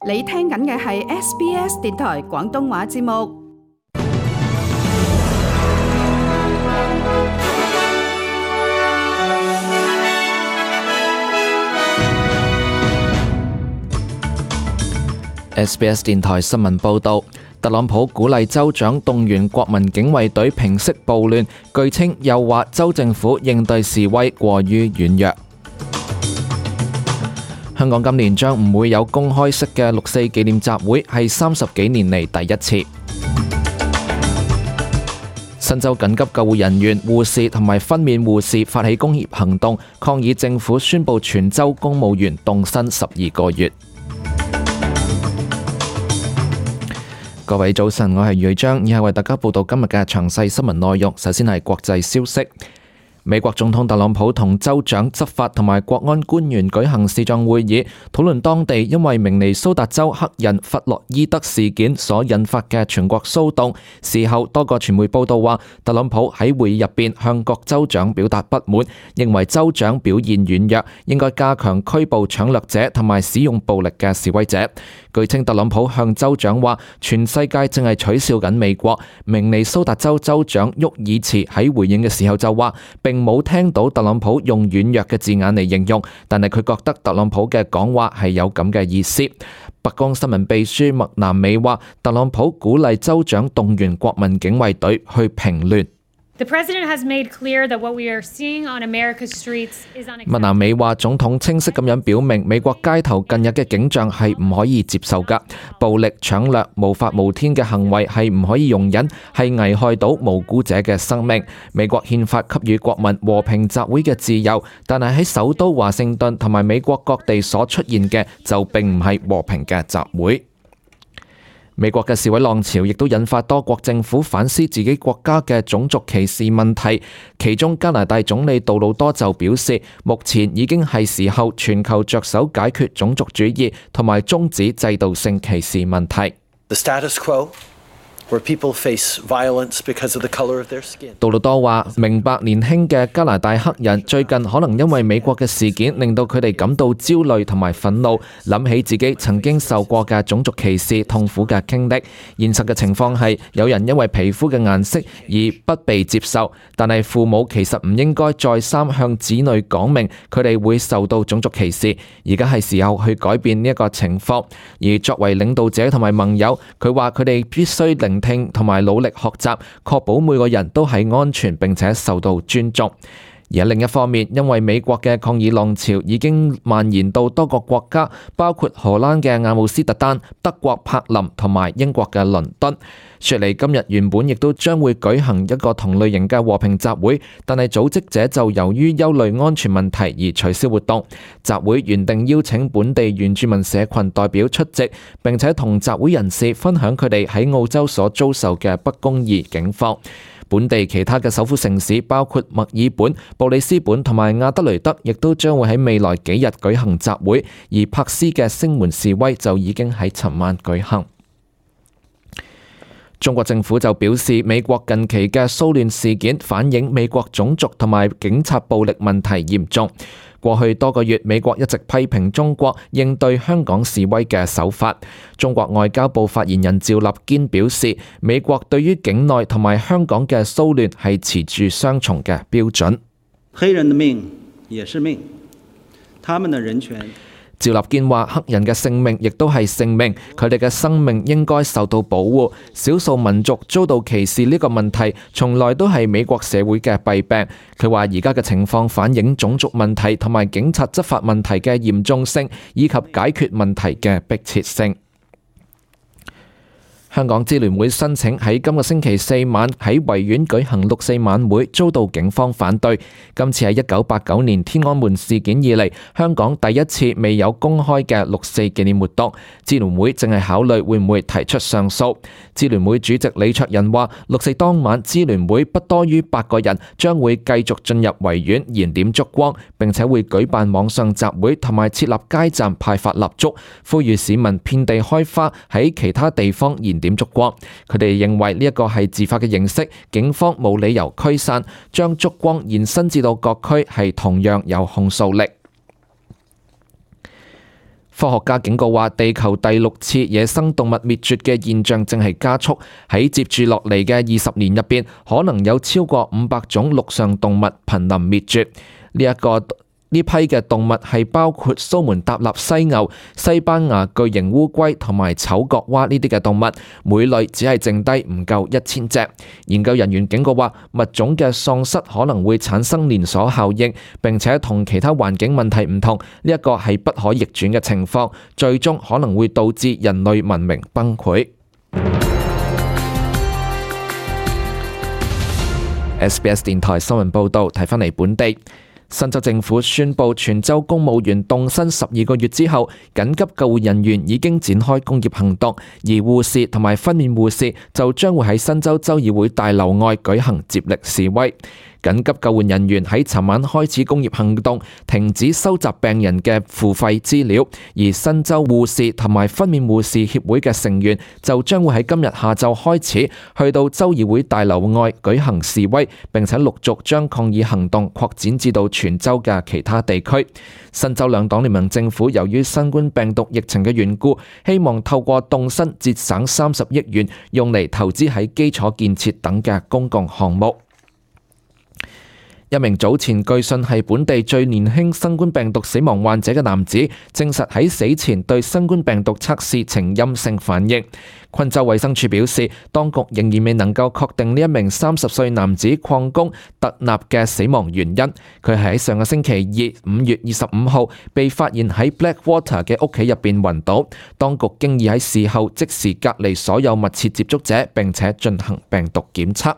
你聽緊嘅係 SBS 電台廣東話節目。SBS 電台新聞報導，特朗普鼓勵州長動員國民警衛隊平息暴亂，據稱又話州政府應對示威過於軟弱。香港今年將唔會有公開式嘅六四紀念集會，係30幾年嚟第一次。新州緊急救護人員、護士同埋分娩護士發起工業行動，抗議政府宣布全州公務員凍薪12個月。各位早晨，我係余章，以下為大家報道今日嘅詳細新聞內容。首先係國際消息。美國總統特朗普同州長、執法同埋國安官員舉行視像會議，討論當地因為明尼蘇達州黑人弗洛伊德事件所引發嘅全國騷動。事後，多個傳媒報道話，特朗普喺會議入邊向各州長表達不滿，認為州長表現軟弱，應該加強拘捕搶掠者同埋使用暴力嘅示威者。據稱，特朗普向州長話，全世界正係取笑緊美國。明尼蘇達州州長沃爾茨喺回應嘅時候就話，並冇聽到特朗普用軟弱嘅字眼嚟形容，但係佢覺得特朗普嘅講話係有咁嘅意思。白宮新聞秘書麥南美話，特朗普鼓勵州長動員國民警衛隊去平亂。麥南美話，總統清晰咁樣表明，美國街頭近日嘅景象係唔可以接受㗎，暴力、搶掠、無法無天嘅行為係唔可以容忍，係危害到無辜者嘅生命。美國憲法給予國民和平集會嘅自由，但係喺首都華盛頓同埋美國各地所出現嘅就並唔係和平嘅集會。美國嘅示威浪潮亦都引發多國政府反思自己國家嘅種族歧視問題，其中加拿大總理杜魯多就表示，目前已經係時候全球着手解決種族主義同埋終止制度性歧視問題。杜魯多話，明白年輕嘅加拿大黑人最近可能因為美國嘅事件令到佢哋感到焦慮同埋憤怒，諗起自己曾經受過嘅種族歧視痛苦嘅經歷。現實嘅情況係，有人因為皮膚嘅顏色而不被接受，但係父母其實唔應該再三向子女講明佢哋會受到種族歧視。而家係時候去改變呢一個情況。而作為領導者同埋盟友，佢話佢哋必須聆聽同埋努力學習，確保每個人都係安全並且受到尊重。而喺另一方面，因為美國嘅抗議浪潮已經蔓延到多個國家，包括荷蘭嘅阿姆斯特丹、德國柏林同埋英國嘅倫敦。雪梨今日原本亦都將會舉行一個同類型嘅和平集會，但係組織者就由於憂慮安全問題而取消活動。集會原定邀請本地原住民社群代表出席，並且同集會人士分享佢哋喺澳洲所遭受嘅不公義境況。本地其他嘅首府城市包括墨爾本、布里斯本同埋亞德雷德，亦都將會喺未來幾日舉行集會，而珀斯嘅聲援示威就已經喺尋晚舉行。中國政府就表示，美國近期嘅騷亂事件反映美國種族同埋警察暴力問題嚴重。過去多個月，美國一直批評中國應對香港示威嘅手法。中國外交部發言人趙立堅表示，美國對於境內同埋香港嘅騷亂係持住雙重嘅標準。黑人的命也是命，他們的人權。趙立堅話，黑人嘅性命亦都係性命，佢哋嘅生命應該受到保護。少數民族遭到歧視呢個問題，從來都係美國社會嘅弊病。佢話而家嘅情況反映種族問題同埋警察執法問題嘅嚴重性，以及解決問題嘅迫切性。香港支聯會申請喺今個星期四晚喺維園舉行六四晚會，遭到警方反對。今次係1989年天安門事件以嚟，香港第一次未有公開嘅六四紀念活動。支聯會正係考慮會唔會提出上訴。支聯會主席李卓人話，六四當晚支聯會不多於8個人將會繼續進入維園燃點燭光，並且會舉辦網上集會同埋設立街站派發蠟燭，呼籲市民遍地開花，喺其他地方燃點燭光。佢哋認為呢一個係自發嘅形式，警方冇理由驅散，將燭光延伸至到各區係同樣有控訴力。科學家警告話，地球第6次野生動物滅絕嘅現象正係加速，喺接住落嚟嘅20年入邊，可能有超過500種陸上動物瀕臨滅絕。呢批嘅動物係包括蘇門答臘犀牛、西班牙巨型烏龜同埋醜角蛙呢啲嘅動物，每類只係剩低唔夠1000隻。研究人員警告話，物種嘅喪失可能會產生連鎖效應，並且同其他環境問題唔同，呢一個係不可逆轉嘅情況，最終可能會導致人類文明崩潰。SBS 電台新聞報導，睇返嚟本地。新州政府宣布全州公務員凍薪12個月之後，緊急救護人員已經展開工業行動，而護士同埋分娩護士就將會喺新州州議會大樓外舉行接力示威。緊急救援人員喺尋晚開始工業行動，停止收集病人嘅付費資料，而新州護士同埋分娩護士協會嘅成員就將會喺今日下晝開始去到州議會大樓外舉行示威，並且陸續將抗議行動擴展至到全州嘅其他地區。新州兩黨聯盟政府由於新冠病毒疫情嘅緣故，希望透過凍薪節省30億元，用嚟投資喺基礎建設等嘅公共項目。一名早前據信係本地最年輕新冠病毒死亡患者嘅男子，證實喺死前對新冠病毒測試呈陰性反應。昆州衛生署表示，當局仍然未能夠確定呢一名30歲男子礦工特納嘅死亡原因。佢係喺上個星期二5月25號被發現喺 Blackwater 嘅屋企入邊暈倒，當局經已喺事後即時隔離所有密切接觸者，並且進行病毒檢測。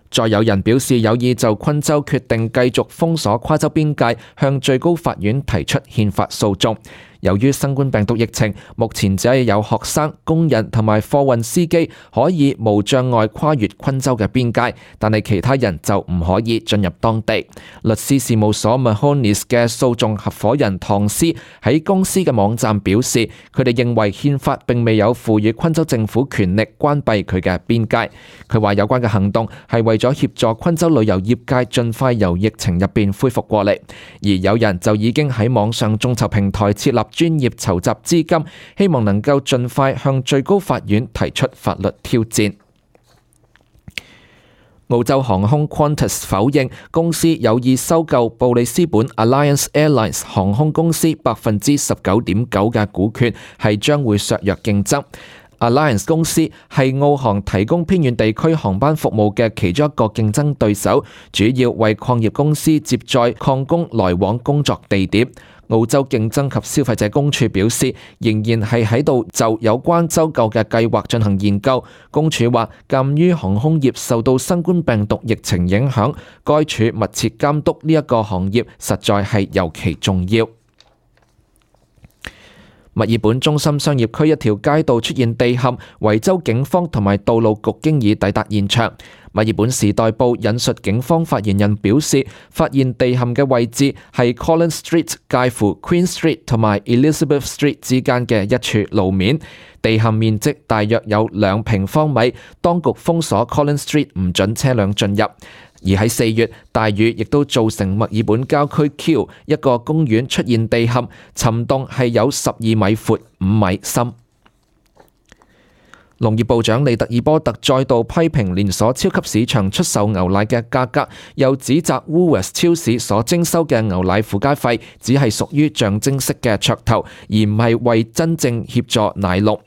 再有人表示有意就昆州決定繼續封鎖跨州邊界，向最高法院提出憲法訴訟。由於新冠病毒疫情，目前只係有學生、工人同埋貨運司機可以無障礙跨越昆州嘅邊界，但係其他人就唔可以進入當地。律師事務所 Mahonis 嘅訴訟合夥人唐斯喺公司嘅網站表示，佢哋認為憲法並未有賦予昆州政府權力關閉佢嘅邊界。佢話有關嘅行動係為咗協助昆州旅遊業界盡快由疫情入邊恢復過嚟，而有人就已經喺網上眾籌平台設立專業籌集資金，希望能夠盡快向最高法院提出法律挑戰。澳洲航空 Qantas 否認公司有意收購布里斯本 Alliance Airlines 航空公司 19.9% 嘅股權，係將會削弱競爭。Alliance 公司係澳航提供偏遠地區航班服務嘅其中一個競爭對手，主要為礦業公司接載礦工來往工作地點。澳洲競爭及消費者公署表示，仍然係喺度就有關收購嘅計劃進行研究。公署話，鑑於航空業受到新冠病毒疫情影響，該處密切監督呢一個行業，實在係尤其重要。墨爾本中心商業區一條街道出現地陷，維州警方同埋道路局經已抵達現場。墨爾本時代報引述警方發言人表示，發現地陷嘅位置係 Collins Street 介乎 Queen Street 同埋 Elizabeth Street 之間嘅一處路面，地陷面積大約有2平方米，當局封鎖 Collins Street 唔准車輛進入。而喺4月，大雨亦都造成墨爾本郊區 Kew 一個公園出現地陷，沉洞係有12米闊、5米深。農業部長利特爾波特再度批評連鎖超級市場出售牛奶嘅價格，又指責 Woolworths 超市所徵收嘅牛奶附加費只係屬於象徵式嘅噱頭，而唔係為真正協助奶農。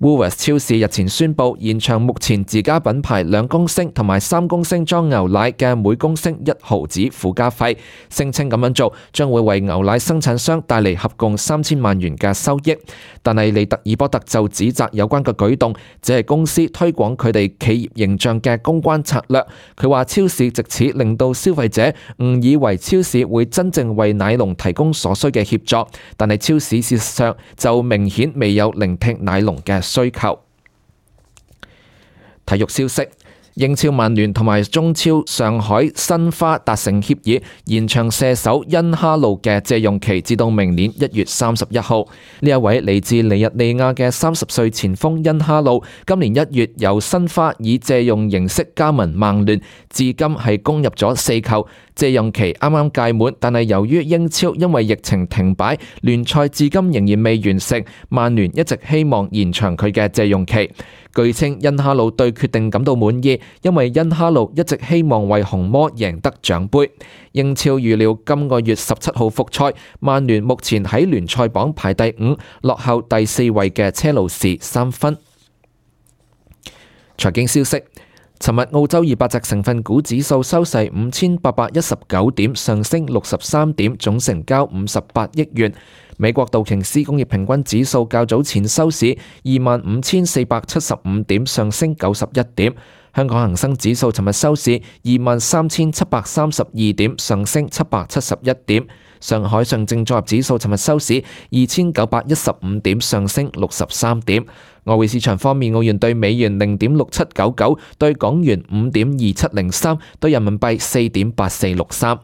Woolworths 超市日前宣布延長目前自家品牌2公升同埋3公升裝牛奶嘅每公升1毫子附加費，聲稱咁樣做將會為牛奶生產商帶嚟合共3000萬元嘅收益。但係利特爾波特就指責有關嘅舉動只係公司推廣佢哋企業形象嘅公關策略。佢話超市藉此令到消費者誤以為超市會真正為奶農提供所需嘅協助，但係超市事實上就明顯未有聆聽奶農嘅需求。體育消息，英超曼聯同埋中超上海申花達成協議，延長射手恩哈路嘅借用期至到明年1月31號。呢一位嚟自尼日利亞嘅30歲前鋒恩哈路，今年1月由申花以借用形式加盟曼聯，至今係攻入咗4球，借用期啱啱屆滿，但係由於英超因為疫情停擺，聯賽至今仍然未完成。曼聯一直希望延長佢嘅借用期。據稱，恩哈魯對決定感到滿意，因為恩哈魯一直希望為紅魔贏得獎杯。英超預料今個月17號復賽，曼聯目前喺聯賽榜排第5，落後第4位嘅車路士3分。財經消息。尋日澳洲200隻成分股指數收市5819點，上升63點，總成交58億元。美國道瓊斯工業平均指數較早前收市25,475點，上升91點。香港恒生指數尋日收市23,732點，上升771點。上海上證綜合指數尋日收市2,915點，上升63點。外匯市場方面，澳元對美元0.6799，對港元5.2703，對人民幣4.8463。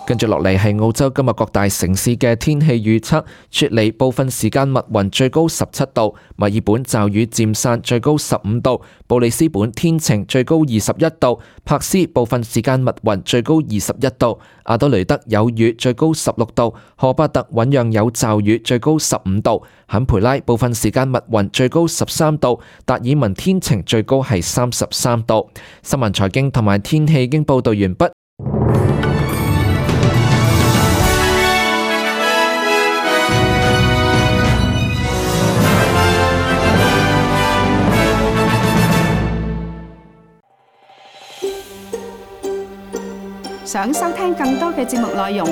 跟住落嚟係澳洲今日各大城市嘅天氣預測。雪梨部分時間密雲，最高17度；墨爾本驟雨漸散，最高15度；布里斯本天晴，最高21度；柏斯部分時間密雲，最高21度；阿德雷德有雨，最高16度；荷巴特醞釀有驟雨，最高15度；坎培拉部分時間密雲，最高13度；達爾文天晴，最高係33度。新聞財經同埋天氣已經報道完畢。想收聽更多嘅節目內容，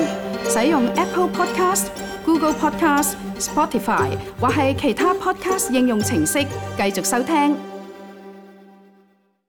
使用 Apple Podcast、Google Podcast、Spotify 或係其他 Podcast 應用程式繼續收聽。